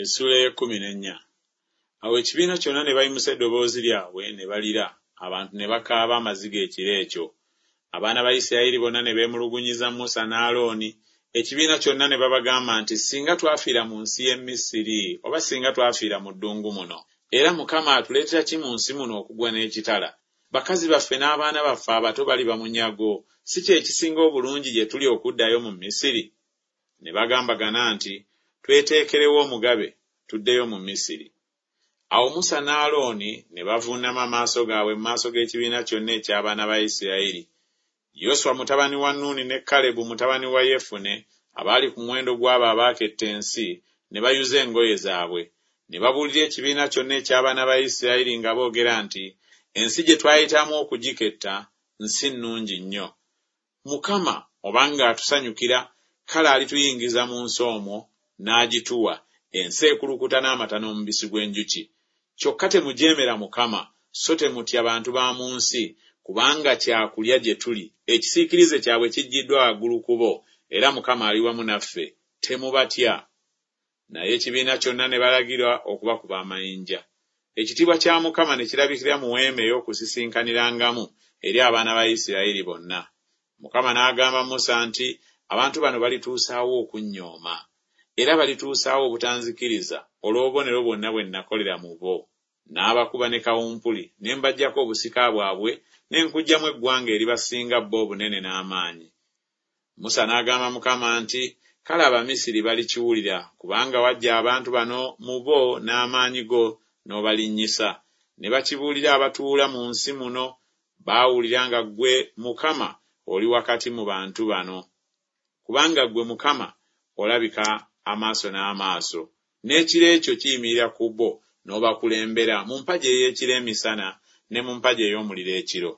Essuula ey'ekkumi n'ennya. Awo ekibiina kyonna ne bayimusa eddoboozi lyabwe ne balira, abantu ne bakaaba amaziga ekiro ekyo. Abaana ba Isirayiri bonna ne beemulugunyiza Musa ne Alooni, ekibiina kyonna ne babagamba nti, Singa twafiira mu nsi y'e Misiri, oba singa twafiira mu ddungu muno! Era Mukama atuleetera ki mu nsi muno okugwa n'ekitala? Bakazi baffe n'abaana baffe abato baliba munyago, si kye kisinga obulungi gye tuli okuddayo mu Misiri? Ne bagambagana nti, Tweteekerewo omugabe, tuddeyo mu Misiri. Awo Musa ne Alooni ne bavuunama amaaso gaabwe mu maaso g'ekibiina kyonna eky'abaana ba Isirayiri. Yoswa mutabani wa Nuuni ne Kalebu mutabani wa Yefune abaali ku muwendo gw'abo abaaketta ensi ne bayuza engoye zaabwe, ne babuulira ekibiina kyonna eky'abaana ba Isirayiri nga boogera nti, Ensi gye twayitamu okugiketta nsi nnungi nnyo. Mukama obanga atusanyukira, kale alituyingiza mu nsi omwo, n'agituwa, ensi ekulukuta n'amata n'omubisi gw'enjuki. Kyokka temujeemera Mukama, so temutya bantu ba mu nsi, kubanga kya kulya gye tuli, ekisiikirize kyabwe kiggyiddwa waggulu ku bo, era Mukama ali wamu naffe, temubatya. Naye ekibiina kyonna ne balagirwa okubakuba amayinja. Ekitiibwa kya Mukama ne kirabikira mu weema ey'okusisinkanirangamu eri abaana ba Isirayiri bonna. Mukama n'agamba Musa nti, Abantu bano balituusa wa okunnyooma? Era balituusa wa obutanzikiriza olw'obubonero bwonna bwe nakolera mu bo? N'abakuba ne kawumpuli, ne mbaggyako obusika bwabwe, ne nkuggyamu eggwanga eribasinga bo obunene n'amaanyi. Musa n'agamba Mukama nti, Kale Abamisiri balikiwulira, kubanga waggya abantu bano mu bo n'amaanyi go n'obalinnyisa. Ne bakibuulira abatuula mu nsi muno, baawulira nga ggwe Mukama oli wakati mu bantu bano. Kubanga ggwe Mukama olabika amaaso n'amaaso, n'ekire kyo kiyimirira ku bo, n'obakulembera mu mpagi ey'ekire emisana, ne mu mpagi ey'omuliro ekiro.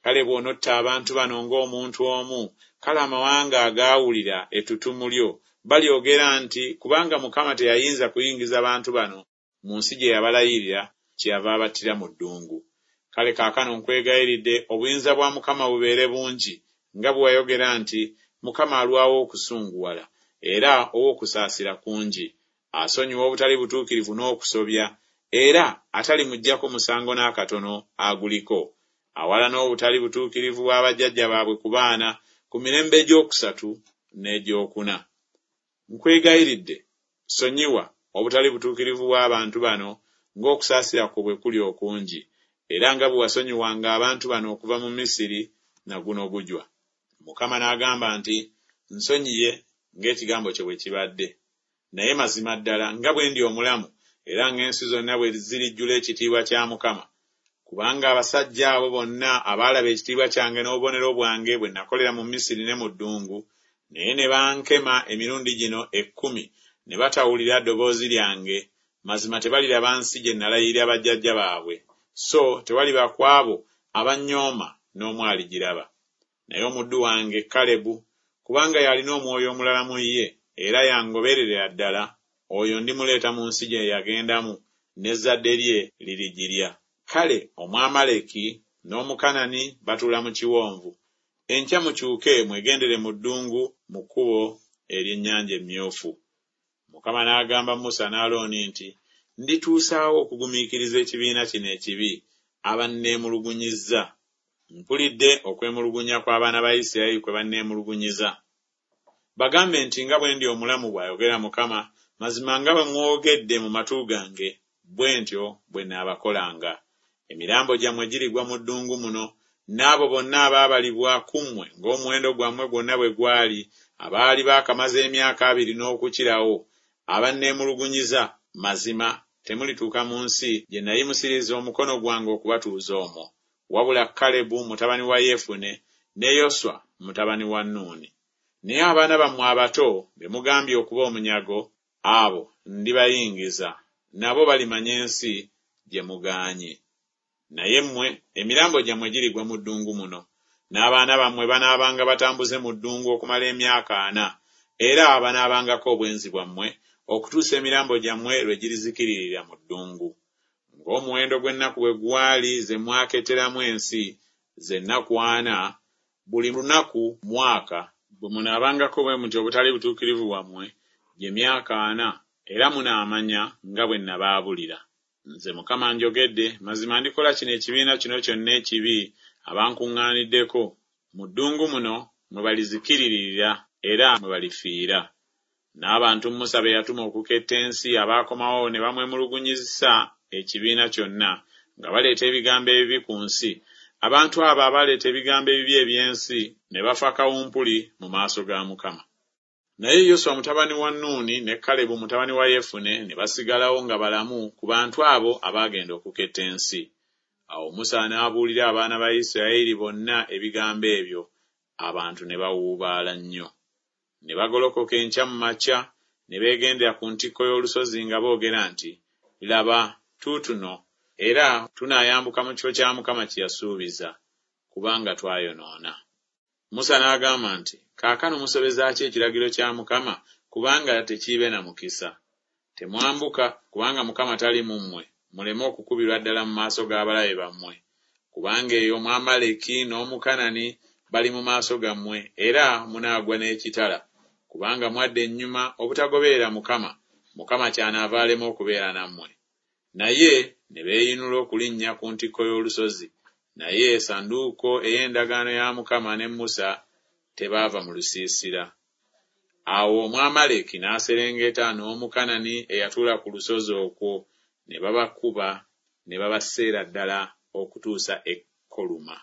Kale bw'onotta abantu bano ng'omuntu omu, kale amawanga agaawulira ettutumu lyo balyogera nti Kubanga Mukama teyayinza kuyingiza bantu bano mu nsi gye yabalayirira, kyeyava abattira mu ddungu. Kale kaakano nkwegayiridde, obuyinza bwa Mukama bubeere bungi, nga bwe wayogera nti Mukama alwawo okusunguwala, era ow'okusaasira kungi, asonyiwa obutali butuukirivu n'okusobya, era atalimuggyako musango n'akatono aguliko, awalana obutali butuukirivu bwa bajjajja baabwe ku baana ku mirembe egy'okusatu n'egy'okuna. Nkwegayiridde, sonyiwa obutali butuukirivu bw'abantu bano ng'okusaasira kwo bwe kuli okungi, era nga bwe wasonyiwanga abantu bano okuva mu Misiri na guno gujwa. Mukama n'agamba nti, Nsonyiye ng'ekigambo kyo bwe kibadde. Naye mazima ddala nga bwe ndi omulamu, era ng'ensi zonna bwe zirijjula ekitiibwa kya Mukama, kubanga abasajja abo bonna abaalaba ekitiibwa kyange n'obubonero bwange bwe nakolera mu Misiri ne mu ddungu, naye ne bankema emirundi gino ekkumi ne batawulira ddoboozi lyange, mazima tebaliraba nsi gye nalayirira bajjajja baabwe, so tewaliba ku abo abannyooma n'omu aligiraba. Naye omuddu wange Kalebu, kubanga y'alina omwoyo omulala mu ye, era y'angobererera ddala, oyo ndimuleeta mu nsi gye yagendamu, n'ezzadde lye lirigirya. Kale Omwamaleki n'Omukanani batuula mu kiwonvu. Enkya mukyuke mwegendere mu ddungu mu kkubo ery'Ennyanja Emmyufu. Mukama n'agamba Musa ne Alooni nti, Ndituusa wa okugumiikiriza ekibiina kino ekibi abanneemulugunyizza? Mpulidde okwemulugunya kw'abaana ba Isirayiri kwe banneemulugunyiza. Bagambe nti, Nga bwe ndi omulamu, bw'ayogera Mukama, mazima nga bwe mwogedde mu matu gange, bwe ntyo bwe nnaabakolanga. Emirambo gyammwe girigwa mu ddungu muno, n'abo bonna abaabalibwa ku mmwe ng'omuwendo gwammwe gwonna bwe gwali, abaali baakamaza emyaka abiri n'okukirawo, abanneemulugunyiza, mazima temulituuka mu nsi gye nayimusiriza omukono gwange okubatuuza omwo, wabula Kalebu mutabani wa Yefune ne Yoswa mutabani wa Nuuni. Naye abaana bammwe abato be mugambye okuba omunyago, abo ndibayingiza, nabo balimanya ensi gye mugaanye. Naye mmwe emirambo gyammwe girigwa mu ddungu muno, n'abaana bammwe banaabanga batambuze mu ddungu okumala emyaka ana, era banaabangako obwenzi bwammwe, okutuusa emirambo gyammwe lwe girizikiririra mu ddungu. Ng'omuwendo gw'ennaku bwe gwali ze mwaketteramu ensi, ze nnaku ana, buli lunaku mwaka, bwe munaabangako bwe mutyo obutali butuukirivu bwammwe, gye myaka ana, Era munaamanya nga bwe nabaabulira. Nze Mukama njogedde, mazima ndikola kino ekibiina kino kyonna ekibi abankuŋŋaaniddeko, mu ddungu muno mwe balizikiririra era mwe balifiira. N'abantu Musa be yatuma okuketta ensi abaakomawo ne bamwemulugunyizisa ekibiina kyonna, nga baleeta ebigambo ebibi ku nsi, abantu abo abaaleeta ebigambo ebibi eby'ensi ne bafa kawumpuli mu maaso ga Mukama. Naye Yoswa mutabani wa Nuuni ne Kalebu mutabani wa Yefune ne basigalawo nga balamu ku bantu abo abaagenda okuketta ensi. Awo Musa n'abuulira abaana ba Isirayiri bonna ebigambo ebyo, abantu ne bawuubaala nnyo. Ne bagolokoka enkya mu makya ne beegendera ku ntikko y'olusozi nga boogera nti, Laba, tuutuno, era tunaayambuka mu kifo kya Mukama kye yasuubiza, kubanga twayonoona. Musa n'agamba nti, Kaakano musobeza ki ekiragiro kya Mukama, kubanga tekiibe na mukisa? Temwambuka, kubanga Mukama tali mu mmwe, muleme okukubirwa ddala mu maaso g'abalabe bammwe. Kubanga eyo Omwamaleki n'Omukanani bali mu maaso gammwe, era munaagwa n'ekitala, kubanga mwadda ennyuma obutagoberera Mukama, Mukama kyanaava alema okubeera nammwe. Naye ne beeyinula okulinnya ku ntikko y'olusozi, naye essanduuko ey'endagaano ya Mukama ne Musa tebaava mu lusiisira. Awo Omwamaleki n'aserengeta n'Omukanani eyatuula ku lusozi okwo, ne babakuba ne babaseera ddala okutuusa e Koluma.